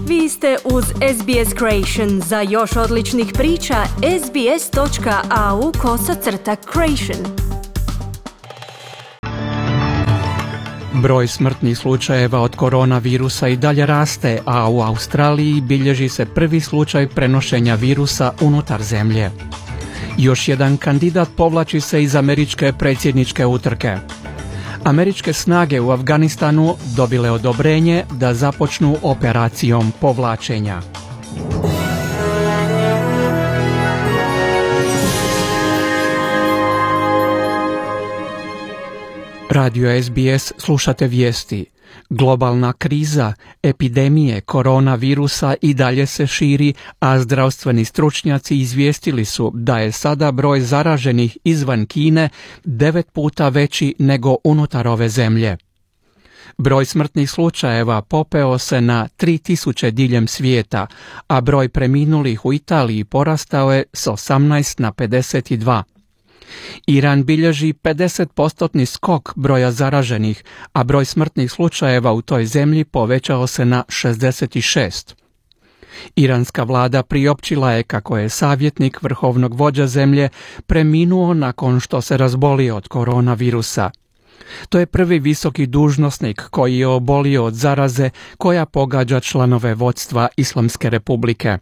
Vi ste uz SBS Creation. Za još odličnih priča, sbs.au/creation. Broj smrtnih slučajeva od koronavirusa i dalje raste, a u Australiji bilježi se prvi slučaj prenošenja virusa unutar zemlje. Još jedan kandidat povlači se iz američke predsjedničke utrke. Američke snage u Afganistanu dobile odobrenje da započnu operacijom povlačenja. Radio SBS slušate vijesti. Globalna kriza, epidemije koronavirusa i dalje se širi, a zdravstveni stručnjaci izvijestili su da je sada broj zaraženih izvan Kine 9 puta veći nego unutar ove zemlje. Broj smrtnih slučajeva popeo se na 3000 diljem svijeta, a broj preminulih u Italiji porastao je s 18 na 52. Iran bilježi 50% skok broja zaraženih, a broj smrtnih slučajeva u toj zemlji povećao se na 66. Iranska vlada priopćila je kako je savjetnik vrhovnog vođa zemlje preminuo nakon što se razbolio od koronavirusa. To je prvi visoki dužnosnik koji je obolio od zaraze koja pogađa članove vodstva Islamske republike.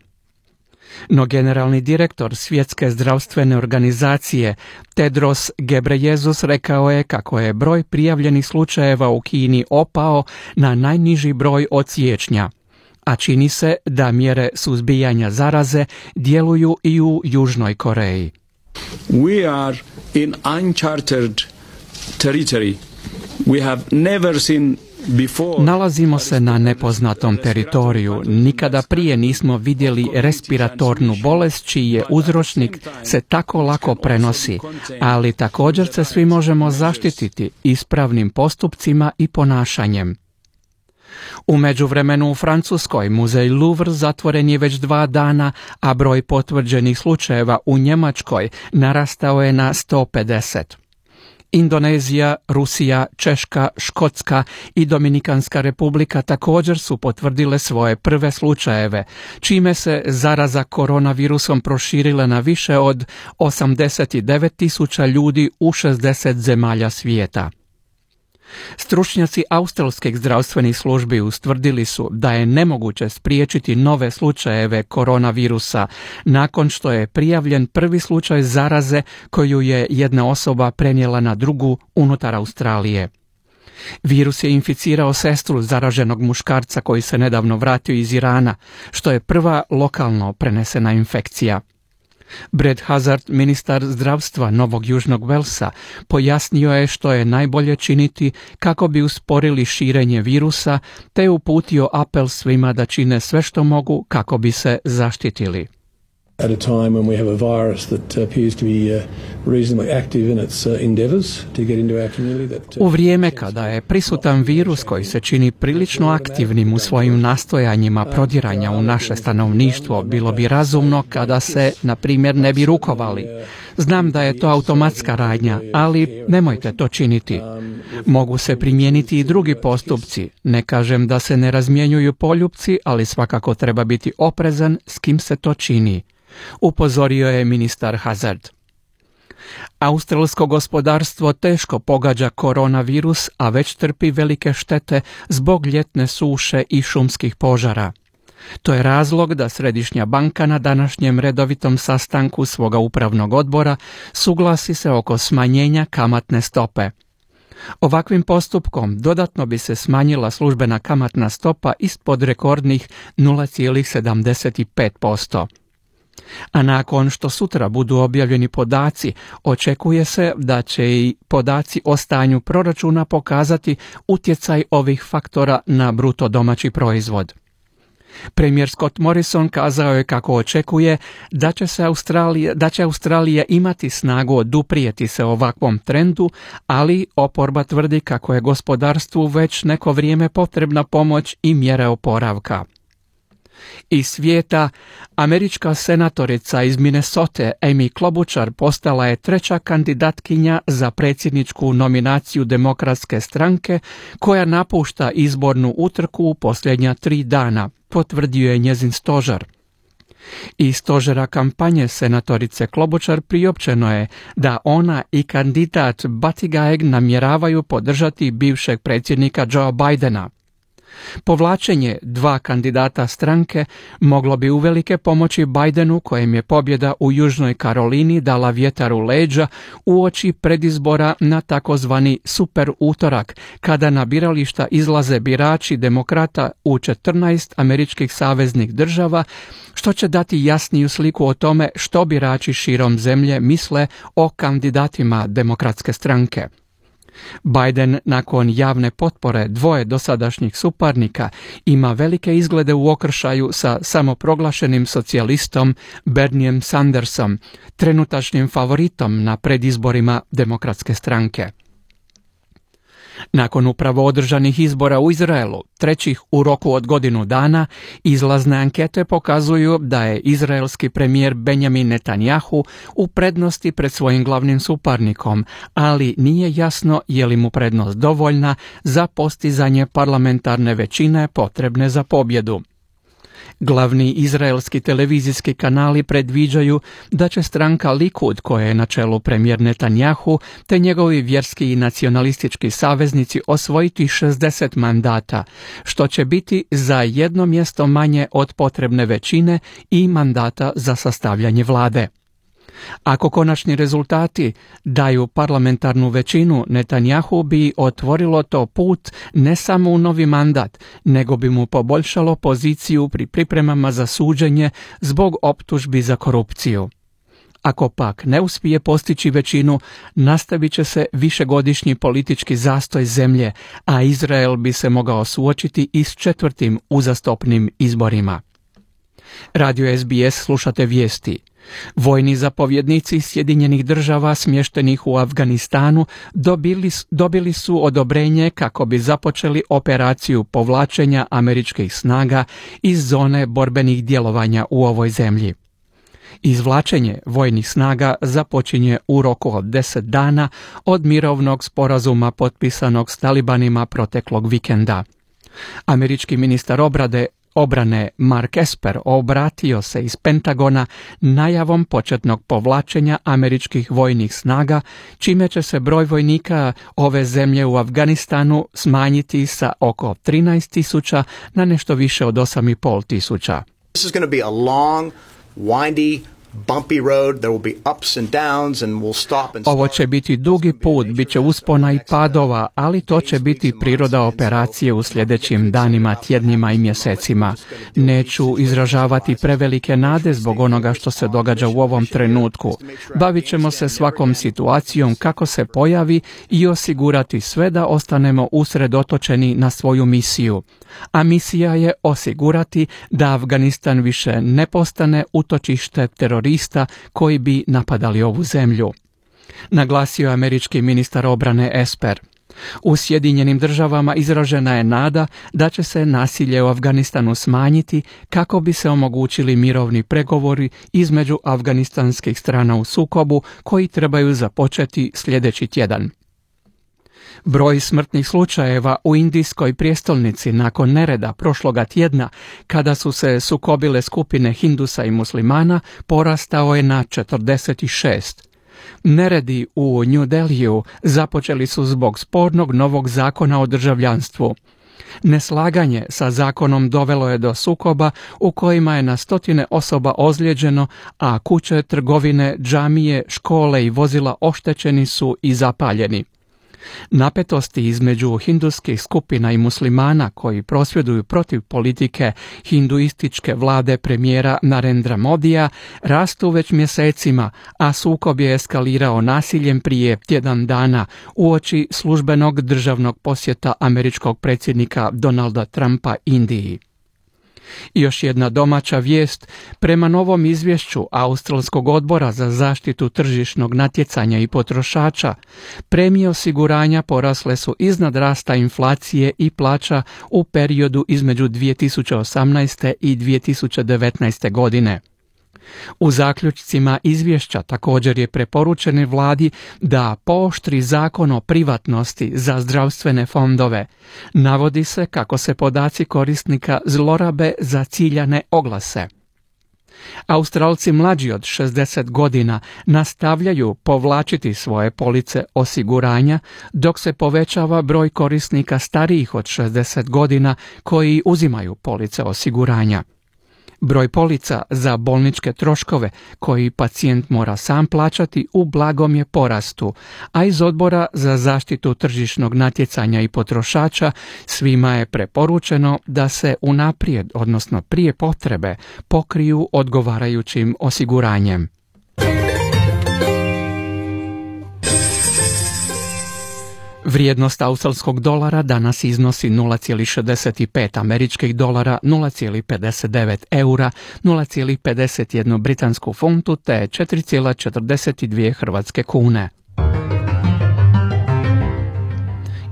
No generalni direktor Svjetske zdravstvene organizacije Tedros Ghebreyesus rekao je kako je broj prijavljenih slučajeva u Kini opao na najniži broj od siječnja, a čini se da mjere suzbijanja zaraze djeluju i u Južnoj Koreji. We are in uncharted territory. We have never seen before. Nalazimo se na nepoznatom teritoriju. Nikada prije nismo vidjeli respiratornu bolest čiji je uzročnik se tako lako prenosi, ali također se svi možemo zaštititi ispravnim postupcima i ponašanjem. U međuvremenu u Francuskoj muzej Louvre zatvoren je već 2 dana, a broj potvrđenih slučajeva u Njemačkoj narastao je na 150. Indonezija, Rusija, Češka, Škotska i Dominikanska republika također su potvrdile svoje prve slučajeve, čime se zaraza koronavirusom proširila na više od 89.000 ljudi u 60 zemalja svijeta. Stručnjaci australskih zdravstvenih službi ustvrdili su da je nemoguće spriječiti nove slučajeve koronavirusa nakon što je prijavljen prvi slučaj zaraze koju je jedna osoba prenijela na drugu unutar Australije. Virus je inficirao sestru zaraženog muškarca koji se nedavno vratio iz Irana, što je prva lokalno prenesena infekcija. Brad Hazzard, ministar zdravstva Novog Južnog Velsa, pojasnio je što je najbolje činiti kako bi usporili širenje virusa, te uputio apel svima da čine sve što mogu kako bi se zaštitili. At a time when we have a virus that appears to be reasonably active in its endeavors to get into our community. U vrijeme kada je prisutan virus koji se čini prilično aktivnim u svojim nastojanjima prodiranja u naše stanovništvo, bilo bi razumno kada se, na primjer, ne bi rukovali. Znam da je to automatska radnja, ali nemojte to činiti. Mogu se primijeniti i drugi postupci. Ne kažem da se ne razmjenjuju poljupci, ali svakako treba biti oprezan s kim se to čini, upozorio je ministar Hazzard. Australsko gospodarstvo teško pogađa koronavirus, a već trpi velike štete zbog ljetne suše i šumskih požara. To je razlog da Središnja banka na današnjem redovitom sastanku svoga upravnog odbora suglasi se oko smanjenja kamatne stope. Ovakvim postupkom dodatno bi se smanjila službena kamatna stopa ispod rekordnih 0,75%. A nakon što sutra budu objavljeni podaci, očekuje se da će i podaci o stanju proračuna pokazati utjecaj ovih faktora na bruto domaći proizvod. Premijer Scott Morrison kazao je kako očekuje da će Australija imati snagu oduprijeti se ovakvom trendu, ali oporba tvrdi kako je gospodarstvu već neko vrijeme potrebna pomoć i mjere oporavka. Iz svijeta, američka senatorica iz Minnesote Amy Klobuchar postala je treća kandidatkinja za predsjedničku nominaciju Demokratske stranke koja napušta izbornu utrku u posljednja 3 dana, potvrdio je njezin stožer. Iz stožera kampanje senatorice Klobuchar priopćeno je da ona i kandidat Buttigieg namjeravaju podržati bivšeg predsjednika Joe Bidena. Povlačenje 2 kandidata stranke moglo bi uvelike pomoći Bidenu, kojem je pobjeda u Južnoj Karolini dala vjetar u leđa uoči predizbora na takozvani super utorak, kada na birališta izlaze birači demokrata u 14 američkih saveznih država, što će dati jasniju sliku o tome što birači širom zemlje misle o kandidatima Demokratske stranke. Biden, nakon javne potpore 2 dosadašnjih suparnika, ima velike izglede u okršaju sa samoproglašenim socijalistom Bernijem Sandersom, trenutačnim favoritom na predizborima Demokratske stranke. Nakon upravo održanih izbora u Izraelu, trećih u roku od godinu dana, izlazne ankete pokazuju da je izraelski premijer Benjamin Netanjahu u prednosti pred svojim glavnim suparnikom, ali nije jasno je li mu prednost dovoljna za postizanje parlamentarne većine potrebne za pobjedu. Glavni izraelski televizijski kanali predviđaju da će stranka Likud, koja je na čelu premijer Netanjahu, te njegovi vjerski i nacionalistički saveznici osvojiti 60 mandata, što će biti za 1 mjesto manje od potrebne većine i mandata za sastavljanje vlade. Ako konačni rezultati daju parlamentarnu većinu, Netanjahu bi otvorilo to put ne samo u novi mandat, nego bi mu poboljšalo poziciju pri pripremama za suđenje zbog optužbi za korupciju. Ako pak ne uspije postići većinu, nastavit će se višegodišnji politički zastoj zemlje, a Izrael bi se mogao suočiti i s 4. uzastopnim izborima. Radio SBS slušate vijesti. Vojni zapovjednici Sjedinjenih država smještenih u Afganistanu dobili su odobrenje kako bi započeli operaciju povlačenja američkih snaga iz zone borbenih djelovanja u ovoj zemlji. Izvlačenje vojnih snaga započinje u roku od 10 dana od mirovnog sporazuma potpisanog s talibanima proteklog vikenda. Američki ministar obrane Mark Esper obratio se iz Pentagona najavom početnog povlačenja američkih vojnih snaga, čime će se broj vojnika ove zemlje u Afganistanu smanjiti sa oko 13.000 na nešto više od 8.500. This is going to be a long, windy, bumpy road. There will be ups and downs and we'll stop and Ovo će biti dugi put, bit će uspona i padova, ali to će biti priroda operacije u sljedećim danima, tjednima i mjesecima. Neću izražavati prevelike nade zbog onoga što se događa u ovom trenutku. Bavit ćemo se svakom situacijom kako se pojavi i osigurati sve da ostanemo usredotočeni na svoju misiju. A misija je osigurati da Afganistan više ne postane utočište terorista koji bi napadali ovu zemlju, naglasio je američki ministar obrane Esper. U Sjedinjenim državama izražena je nada da će se nasilje u Afganistanu smanjiti kako bi se omogućili mirovni pregovori između afganistanskih strana u sukobu koji trebaju započeti sljedeći tjedan. Broj smrtnih slučajeva u indijskoj prijestolnici nakon nereda prošloga tjedna, kada su se sukobile skupine Hindusa i muslimana, porastao je na 46. Neredi u New Delhiju započeli su zbog spornog novog zakona o državljanstvu. Neslaganje sa zakonom dovelo je do sukoba u kojima je na 100 osoba ozlijeđeno, a kuće, trgovine, džamije, škole i vozila oštećeni su i zapaljeni. Napetosti između hinduskih skupina i muslimana koji prosvjeduju protiv politike hinduističke vlade premijera Narendra Modija rastu već mjesecima, a sukob je eskalirao nasiljem prije tjedan dana uoči službenog državnog posjeta američkog predsjednika Donalda Trumpa Indiji. I još jedna domaća vijest, prema novom izvješću Australskog odbora za zaštitu tržišnog natjecanja i potrošača, premije osiguranja porasle su iznad rasta inflacije i plaća u periodu između 2018. i 2019. godine. U zaključcima izvješća također je preporučeno vladi da pooštri zakon o privatnosti za zdravstvene fondove. Navodi se kako se podaci korisnika zlorabe za ciljane oglase. Australci mlađi od 60 godina nastavljaju povlačiti svoje police osiguranja, dok se povećava broj korisnika starijih od 60 godina koji uzimaju police osiguranja. Broj polica za bolničke troškove koji pacijent mora sam plaćati u blagom je porastu, a iz Odbora za zaštitu tržišnog natjecanja i potrošača svima je preporučeno da se unaprijed, odnosno prije potrebe, pokriju odgovarajućim osiguranjem. Vrijednost australskog dolara danas iznosi 0,65 američkih dolara, 0,59 eura, 0,51 britansku funtu te 4,42 hrvatske kune.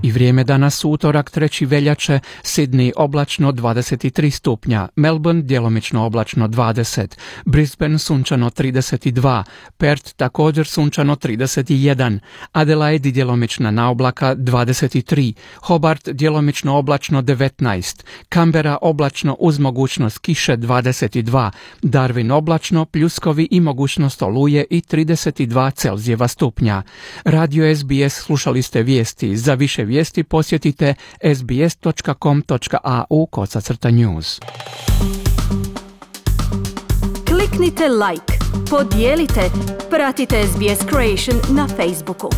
I vrijeme danas utorak 3. veljače, Sydney oblačno 23 stupnja, Melbourne djelomično oblačno 20, Brisbane sunčano 32, Perth također sunčano 31, Adelaide djelomična naoblaka 23, Hobart djelomično oblačno 19, Canberra oblačno uz mogućnost kiše 22, Darwin oblačno, pljuskovi i mogućnost oluje i 32 Celzijeva stupnja. Radio SBS slušali ste vijesti. Za više vijesti posjetite sbs.com.au/news. Kliknite like, podijelite, pratite SBS Creation na Facebooku.